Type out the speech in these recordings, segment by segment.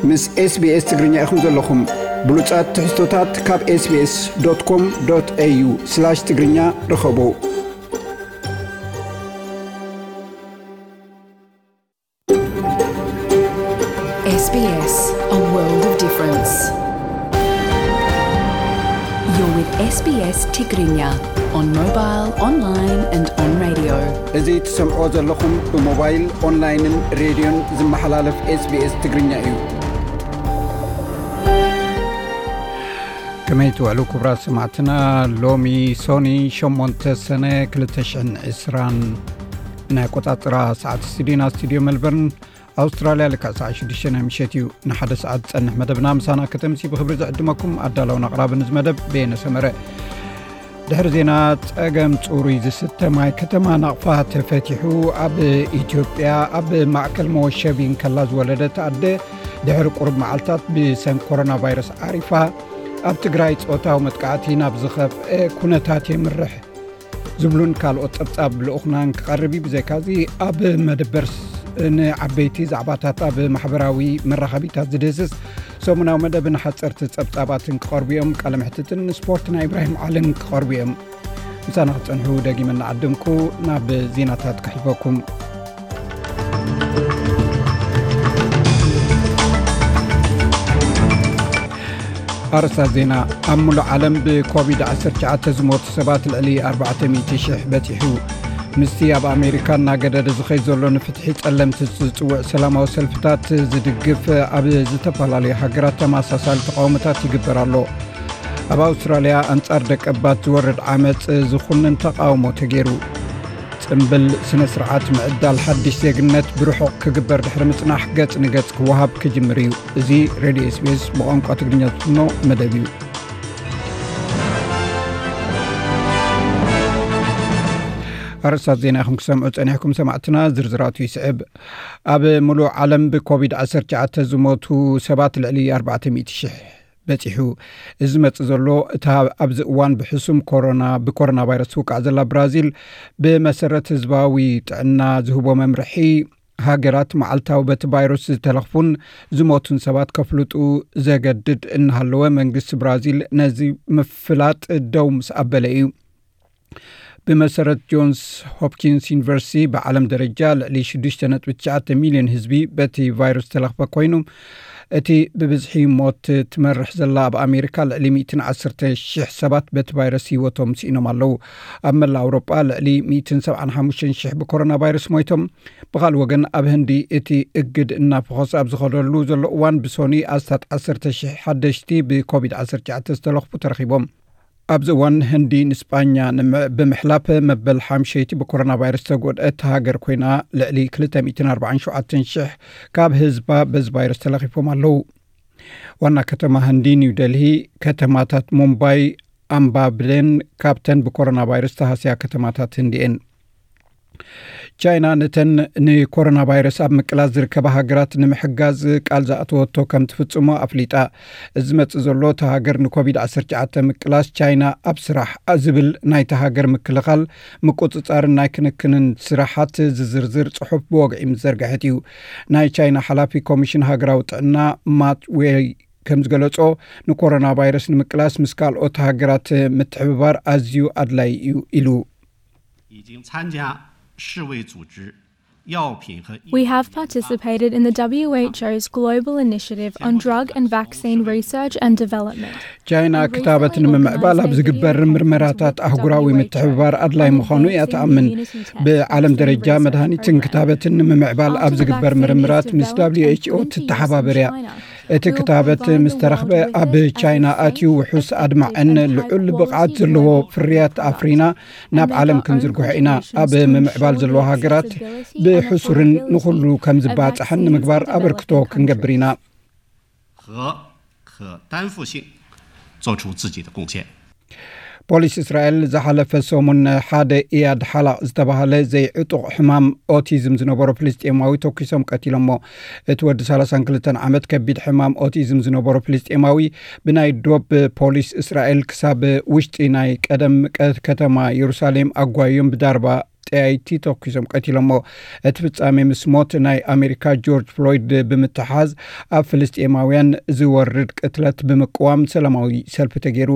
ምስ SBS ትግርኛ ኢኹም ዘለኹም። ብሉጻት ትሕዝቶታት ካብ SBS.com.au/ትግርኛ ርኸቡ። S B S, a world of difference. You're with S B S Tigrinya on mobile, online and on radio. እዚ ትሰምዖ ዘለኹም ብሞባይል፣ ኦንላይንን ሬድዮን ዝመሓላለፍ SBS ትግርኛ እዩ። ከመይ ትውዕሉ ክቡራት ሰማዕትና? ሎሚ ሶኒ ሸሞንተ ሰነ ክልተ ሽሕን ዕስራን ናይ ኣቆጻጽራ ሰዓት ስቱዲዮና ስቱዲዮ ሜልበርን ኣውስትራልያ ልክዕ ሰዓት ሽዱሽተ ናይ ምሸት እዩ። ንሓደ ሰዓት ዝጸንሕ መደብና ምሳና ከተምሲ ብኽብሪ ዝዕድመኩም ኣዳላውን ኣቕራብን እዚ መደብ በየነ ሰመረ። ድሕሪ ዜና ጸገም ጽሩይ ዝስተ ማይ ከተማ ናቕፋ ተፈቲሑ። ኣብ ኢትዮጵያ ኣብ ማእከል መወሸቢ እንከላ ዝወለደት ኣደ ድሕሪ ቁሩብ መዓልታት ብሰንኪ ኮሮና ቫይረስ ዓሪፋ። ኣብ ትግራይ ጾታዊ መጥቃዕቲ ናብ ዝኸፍአ ኩነታት የምርሕ ዝብሉን ካልኦት ጸብጻብ ልኡኽናን ክቐርብ እዩ። ብዘይካዚ ኣብ መደበር ንዓበይቲ ዛዕባታት ኣብ ማሕበራዊ መራኸቢታት ዝድህስስ ሰሙናዊ መደብን ሓጸርቲ ጸብጻባትን ክቐርቡ እዮም። ቃለ መሕትትን ስፖርት ናይ ኢብራሂም ዓልን ክቐርቡ እዮም። ምሳና ክትጸንሑ ደጊመ እናዓደምኩ ናብ ዜናታት ክሕልፈኩም። ኣርእስታት ዜና። ኣብ ሙሉእ ዓለም ብኮቪድ ዓሰርተ ትሽዓተ ዝሞቱ ሰባት ልዕሊ ኣርባዕተ ሚእቲ ሽሕ በጺሑ። ምስቲ ኣብ ኣሜሪካ እናገደደ ዝኸይድ ዘሎ ንፍትሒ ጸለምቲ ዝጽውዕ ሰላማዊ ሰልፍታት ዝድግፍ ኣብ ዝተፈላለዩ ሃገራት ተመሳሳሊ ተቃውሞታት ይግበር ኣሎ። ኣብ ኣውስትራልያ ኣንጻር ደቀባት ዝወርድ ዓመጽ ዝኹንን ተቃውሞ ተገይሩ። ጽምብል ስነ ስርዓት ምዕዳል ሓድሽ ዜግነት ብርሑቕ ክግበር ድሕሪ ምጽናሕ ገጽ ንገጽ ክወሃብ ክጅምር እዩ። እዚ ሬድዮ SBS ብቋንቋ ትግርኛ ዝፍኖ መደብ እዩ። ኣርእስታት ዜና ኢኹም ክሰምዑ ጸኒሕኩም ሰማዕትና፣ ዝርዝራቱ ይስዕብ። ኣብ ሙሉእ ዓለም ብኮቪድ ዓሰርተ ትሽዓተ ዝሞቱ ሰባት ልዕሊ ኣርባዕተ ሚእቲ ሽሕ በጺሑ። እዚ ዝመጽእ ዘሎ እታ ኣብዚ እዋን ብሕሱም ኮሮና፣ ብኮሮና ቫይረስ ትውቃዕ ዘላ ብራዚል፣ ብመሰረት ህዝባዊ ጥዕና ዝህቦ መምርሒ፣ ሃገራት መዓልታዊ በቲ ቫይረስ ዝተለኽፉን ዝሞቱን ሰባት ከፍልጡ ዘገድድ እናሃለወ፣ መንግስቲ ብራዚል ነዚ ምፍላጥ ደው ምስ ኣበለ እዩ። ብመሰረት ጆንስ ሆፕኪንስ ዩኒቨርሲቲ፣ ብዓለም ደረጃ ልዕሊ ሽዱሽተ ነጥቢ ትሽዓተ ሚልዮን ህዝቢ በቲ ቫይረስ ዝተለኽፈ ኮይኑ፣ እቲ ብብዝሒ ሞት ትመርሕ ዘላ ኣብ ኣሜሪካ ልዕሊ ሚእትን ዓሰርተ ሽሕ ሰባት በቲ ቫይረስ ህይወቶም ስኢኖም ኣለዉ። ኣብ መላእ ኣውሮጳ ልዕሊ ሚእትን ሰብዓን ሓሙሽተን ሽሕ ብኮሮና ቫይረስ ሞይቶም። ብኻልእ ወገን፣ ኣብ ህንዲ እቲ እግድ እናፈኾሰ ኣብ ዝኸደሉ ዘሎ እዋን፣ ብሶኒ ኣስታት ዓሰርተ ሽሕ ሓደሽቲ ብኮቪድ ዓሰርተ ትሽዓተ ዝተለኽፉ ተረኺቦም። ኣብዚ እዋን፣ ህንዲ ንስጳኛ ንምዕ-፣ ብምሕላፍ መበል ሓምሸይቲ ብኮሮና ቫይረስ ዝተጎድአት ሃገር ኮይና፣ ልዕሊ ክልተ ሚእትን ኣርባዓን ሸውዓተን ሽሕ ካብ ህዝባ በዚ ቫይረስ ተለኺፎም ኣለዉ። ዋና ከተማ ህንዲ ኒው ደልሂ፣ ከተማታት ሙምባይ፣ ኣምባብሌን ካብተን ብኮሮና ቫይረስ ተሃስያ ከተማታት ህንዲ እየን። ቻይና ነተን ንኮሮና ቫይረስ ኣብ ምቅላስ ዝርከባ ሃገራት ንምሕጋዝ ቃል ዝኣተወቶ ከም ትፍጽሞ ኣፍሊጣ። እዚ ዝመጽእ ዘሎ፣ እታ ሃገር ንኮቪድ ዓሰርተ ትሽዓተ ምቅላስ ቻይና ኣብ ስራሕ ዝብል ናይታ ሃገር ምክልኻል፣ ምቁጽጻርን ናይ ክንክንን ስራሓት ዝዝርዝር ጽሑፍ ብወግዒ ምስ ዘርግሐት እዩ። ናይ ቻይና ሓላፊ ኮሚሽን ሃገራዊ ጥዕና ማት ዌይ ከም ዝገለጾ፣ ንኮሮና ቫይረስ ንምቅላስ ምስ ካልኦት ሃገራት ምትሕብባር ኣዝዩ ኣድላዪ እዩ ኢሉ። 已经参加世卫组织药品和 We have participated in the W H O's global initiative on drug and vaccine research and development. ቻይና ክታበት ንምምዕባል ኣብ ዝግበር ምርመራታት ኣህጉራዊ ምትሕብባር ኣድላይ ምዃኑ እያ ትኣምን። ብዓለም ደረጃ መድሃኒትን ክታበትን ንምምዕባል ኣብ ዝግበር ምርምራት ምስ W H O ትተሓባበር እያ። እቲ ክታበት ምስ ተረኽበ ኣብ ቻይና ኣትዩ ውሑስ ኣድማዕን ልዑል ብቕዓት ዘለዎ ፍርያት ኣፍሪና ናብ ዓለም ክንዝርግሖ ኢና። ኣብ ምምዕባል ዘለዋ ሃገራት ብሕሱርን ንኹሉ ከም ዝባጻሕን ንምግባር ኣበርክቶ ክንገብር ኢና። 和可担负性做出自己的贡献。 ፖሊስ እስራኤል ዝሓለፈ ሰሙን ሓደ ኢያድ ሓላቕ ዝተባህለ ዘይዕጡቕ ሕማም ኦቲዝም ዝነበሮ ፍልስጤማዊ ተኲሶም ቀቲሎሞ። እቲ ወዲ ሰላሳን ክልተን ዓመት ከቢድ ሕማም ኦቲዝም ዝነበሮ ፍልስጤማዊ ብናይ ዶብ ፖሊስ እስራኤል ክሳብ ውሽጢ ናይ ቀደም ቀ-፣ ከተማ የሩሳሌም ኣጓዮም ብዳርባ ጠያይቲ ተኩሶም ቀቲሎሞ። እቲ ፍጻሜ ምስ ሞት ናይ ኣሜሪካ ጆርጅ ፍሎይድ ብምትሓዝ፣ ኣብ ፍልስጤማውያን ዝወርድ ቅትለት ብምቅዋም ሰላማዊ ሰልፊ ተገይሩ።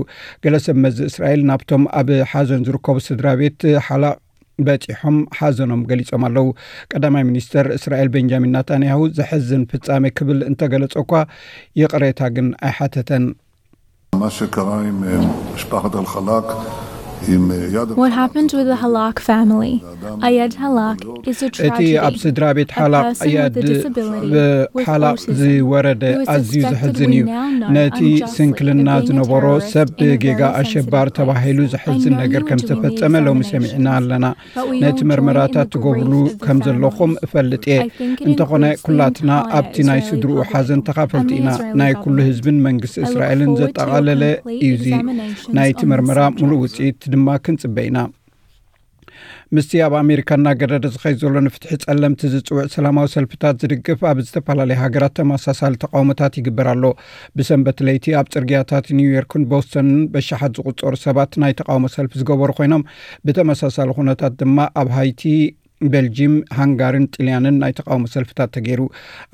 ገለ ሰብ መዚ እስራኤል ናብቶም ኣብ ሓዘን ዝርከቡ ስድራ ቤት ሓላቕ በጺሖም ሓዘኖም ገሊጾም ኣለዉ። ቀዳማይ ሚኒስተር እስራኤል ቤንጃሚን ናታንያሁ ዘሕዝን ፍጻሜ ክብል እንተገለጸ እኳ፣ ይቕሬታ ግን ኣይሓተተን። מה שקרה עם אה, משפחת אל-חלאק, עם אה, יד What happened with the Halak family? Ayad Halak is a እቲ ኣብ tragedy. ስድራ ቤት ሓላቕ ኣያድ ሓላቕ ዝወረደ ኣዝዩ ዘሕዝን እዩ። ነቲ ስንክልና ዝነበሮ ሰብ ብጌጋ ኣሸባሪ ተባሂሉ ዘሕዝን ነገር ከም ዝተፈጸመ ሎሚ ሰሚዕና ኣለና። ነቲ መርመራታት ትገብርሉ ከም ዘለኹም እፈልጥ እየ። እንተኾነ ኩላትና ኣብቲ ናይ ስድርኡ ሓዘን ተኻፈልቲ ኢና። ናይ ኩሉ ህዝብን መንግስቲ እስራኤልን ዘጠቓለለ እዩ። እዚ ናይቲ መርመራ ሙሉእ ውፅኢት ድማ ክንፅበ ኢና። ምስቲ ኣብ ኣሜሪካ እናገደደ ዝኸይድ ዘሎ ንፍትሒ ጸለምቲ ዝጽውዕ ሰላማዊ ሰልፍታት ዝድግፍ ኣብ ዝተፈላለየ ሃገራት ተመሳሳሊ ተቃውሞታት ይግበር ኣሎ። ብሰንበት ለይቲ ኣብ ጽርግያታት ኒውዮርክን ቦስተንን በሽሓት ዝቁጸሩ ሰባት ናይ ተቃውሞ ሰልፊ ዝገበሩ ኮይኖም፣ ብተመሳሳሊ ኩነታት ድማ ኣብ ሃይቲ፣ ቤልጂም፣ ሃንጋርን ጥልያንን ናይ ተቃውሞ ሰልፍታት ተገይሩ።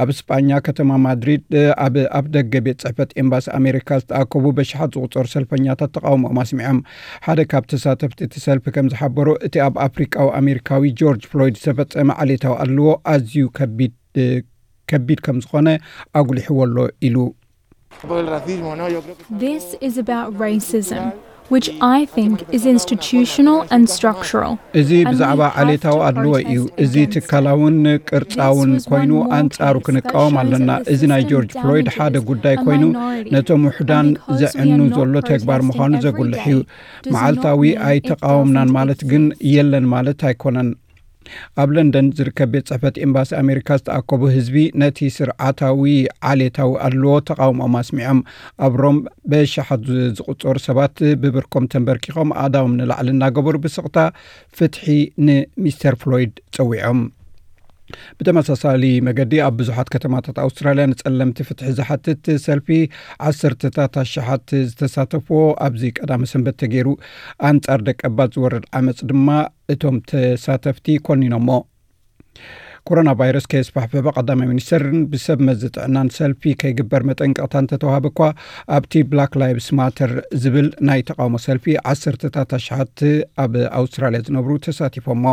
ኣብ ስጳኛ ከተማ ማድሪድ ኣብ ኣፍ ደገ ቤት ጽሕፈት ኤምባሲ ኣሜሪካ ዝተኣከቡ በሽሓት ዝቁጸሩ ሰልፈኛታት ተቃውሞኦም ኣስሚዖም። ሓደ ካብ ተሳተፍቲ እቲ ሰልፊ ከም ዝሓበሮ፣ እቲ ኣብ ኣፍሪቃዊ ኣሜሪካዊ ጆርጅ ፍሎይድ ዝተፈጸመ ዓሌታዊ ኣድልዎ ኣዝዩ ከቢድ ከም ዝኾነ ኣጉሊሕዎ ኣሎ ኢሉ። This is about racism, which I think is institutional and structural. እዚ ብዛዕባ ዓሌታዊ ኣድልዎ እዩ። እዚ ትካላውን ቅርጻውን ኮይኑ ኣንጻሩ ክንቃወም ኣለና። እዚ ናይ ጆርጅ ፍሎይድ ሓደ ጉዳይ ኮይኑ ነቶም ውሑዳን ዘዕኑ ዘሎ ተግባር ምዃኑ ዘጉልሕ እዩ። መዓልታዊ ኣይተቃወምናን ማለት ግን የለን ማለት ኣይኮነን። ኣብ ለንደን ዝርከብ ቤት ጽሕፈት ኤምባሲ ኣሜሪካ ዝተኣከቡ ህዝቢ ነቲ ስርዓታዊ ዓሌታዊ ኣድልዎ ተቃውሞኦም ኣስሚዖም። ኣብ ሮም በሽሓት ዝቁጸሩ ሰባት ብብርኮም ተንበርኪኾም ኣእዳዎም ንላዕሊ እናገበሩ ብስቕታ ፍትሒ ንሚስተር ፍሎይድ ጸዊዖም። ብተመሳሳሊ መገዲ ኣብ ብዙሓት ከተማታት ኣውስትራልያ ንጸለምቲ ፍትሒ ዝሓትት ሰልፊ ዓሰርተታት ኣሽሓት ዝተሳተፍዎ ኣብዚ ቀዳመ ሰንበት ተገይሩ። ኣንጻር ደቀባት ዝወርድ ዓመጽ ድማ እቶም ተሳተፍቲ ኮኒኖሞ። ኮሮና ቫይረስ ከየስፋሕፍሕ ቀዳማይ ሚኒስተርን ብሰብ መዚ ጥዕናን ሰልፊ ከይግበር መጠንቀቕታ እንተተዋህበ እኳ፣ ኣብቲ ብላክ ላይቭስ ማተር ዝብል ናይ ተቃውሞ ሰልፊ ዓሰርተታት ኣሽሓት ኣብ ኣውስትራልያ ዝነብሩ ተሳቲፎሞ።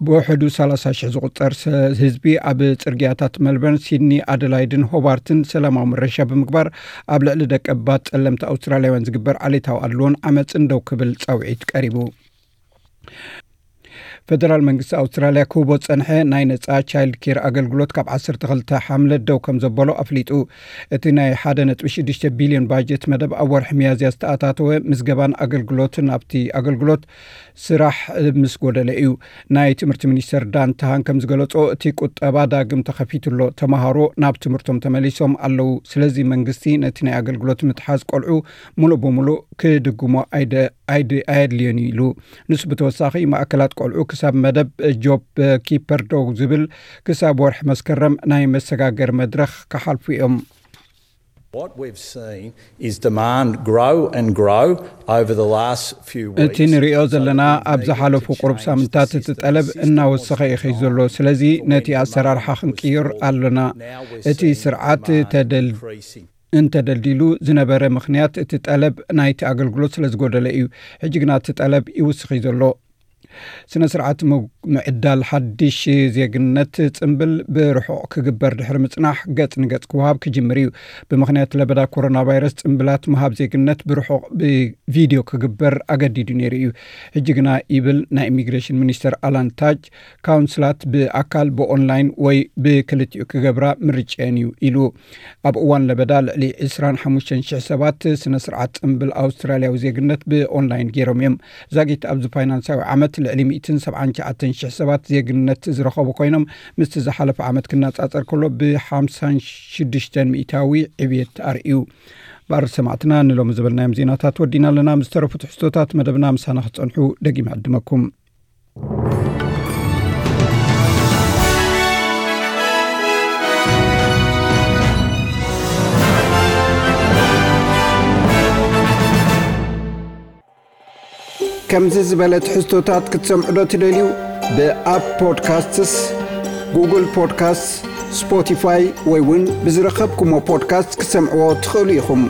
ብውሕዱ ሰላሳ ሽሕ ዝቁጸር ህዝቢ ኣብ ጽርግያታት መልበርን ሲድኒ ኣደላይድን ሆባርትን ሰላማዊ ምረሻ ብምግባር፣ ኣብ ልዕሊ ደቀባት ጸለምቲ ኣውስትራልያውያን ዝግበር ዓሌታዊ ኣድልዎን ዓመፅን ደው ክብል ጻውዒት ቀሪቡ። ፈደራል መንግስቲ ኣውስትራልያ ክህቦ ዝጸንሐ ናይ ነጻ ቻይልድ ኬር ኣገልግሎት ካብ ዓሰርተ ክልተ ሓምለ ደው ከም ዘበሎ ኣፍሊጡ። እቲ ናይ ሓደ ነጥቢ ሽዱሽተ ቢልዮን ባጀት መደብ ኣብ ወርሒ ሚያዝያ ዝተኣታተወ ምዝገባን ኣገልግሎትን ኣብቲ ኣገልግሎት ስራሕ ምስ ጎደለ እዩ። ናይ ትምህርቲ ሚኒስተር ዳን ተሃን ከም ዝገለጾ፣ እቲ ቁጠባ ዳግም ተኸፊቱ ኣሎ። ተማሃሮ ናብ ትምህርቶም ተመሊሶም ኣለዉ። ስለዚ መንግስቲ ነቲ ናይ ኣገልግሎት ምትሓዝ ቆልዑ ሙሉእ ብሙሉእ ክድጉሞ ኣይደ ኣይድ ኣየድልዮን እዩ ኢሉ። ንሱ ብተወሳኺ ማእከላት ቆልዑ ክሳብ መደብ ጆብ ኪፐር ደው ዝብል ክሳብ ወርሒ መስከረም ናይ መሰጋገሪ መድረኽ ክሓልፉ እዮም። What we've seen is demand grow and grow over the last few weeks. እቲ ንሪኦ ዘለና ኣብ ዝሓለፉ ቁሩብ ሳምንታት እቲ ጠለብ እናወሰኸ እዩ ኸይ ዘሎ። ስለዚ ነቲ ኣሰራርሓ ክንቅይር ኣለና። እቲ ስርዓት ተደል እንተደልዲሉ ዝነበረ ምኽንያት እቲ ጠለብ ናይቲ ኣገልግሎት ስለ ዝጎደለ እዩ። ሕጂ ግና እቲ ጠለብ ይውስኽ እዩ ዘሎ። ስነ ስርዓት ምዕዳል ሓድሽ ዜግነት ጽምብል ብርሑቕ ክግበር ድሕሪ ምጽናሕ ገጽ ንገጽ ክወሃብ ክጅምር እዩ። ብምኽንያት ለበዳ ኮሮና ቫይረስ ጽምብላት ምሃብ ዜግነት ብርሑቕ ብቪድዮ ክግበር ኣገዲዱ ነይሩ እዩ። ሕጂ ግና ይብል ናይ ኢሚግሬሽን ሚኒስተር ኣላን ታጅ፣ ካውንስላት ብኣካል ብኦንላይን ወይ ብክልቲኡ ክገብራ ምርጫየን እዩ ኢሉ። ኣብ እዋን ለበዳ ልዕሊ ዕስራን ሓሙሽተን ሽሕ ሰባት ስነ ስርዓት ጽምብል ኣውስትራልያዊ ዜግነት ብኦንላይን ገይሮም እዮም። ዛጊት ኣብዚ ፋይናንሳዊ ዓመት ልዕሊ ሚእትን ሰብዓን ትሽዓተን ሽሕ ሰባት ዜግነት ዝረኸቡ ኮይኖም፣ ምስቲ ዝሓለፈ ዓመት ክነጻጸር ከሎ ብሓምሳን ሽዱሽተን ሚእታዊ ዕብየት ኣርእዩ። ባር ሰማዕትና ንሎሚ ዝበልናዮም ዜናታት ወዲና ኣለና። ምስ ተረፉ ትሕዝቶታት መደብና ምሳና ክትጸንሑ ደጊመ ዕድመኩም። ከምዚ ዝበለ ትሕዝቶታት ክትሰምዑ ዶ ትደልዩ? ብኣፕ ፖድካስትስ፣ ጉግል ፖድካስት፣ ስፖቲፋይ ወይ እውን ብዝረኸብኩሞ ፖድካስት ክትሰምዕዎ ትኽእሉ ኢኹም።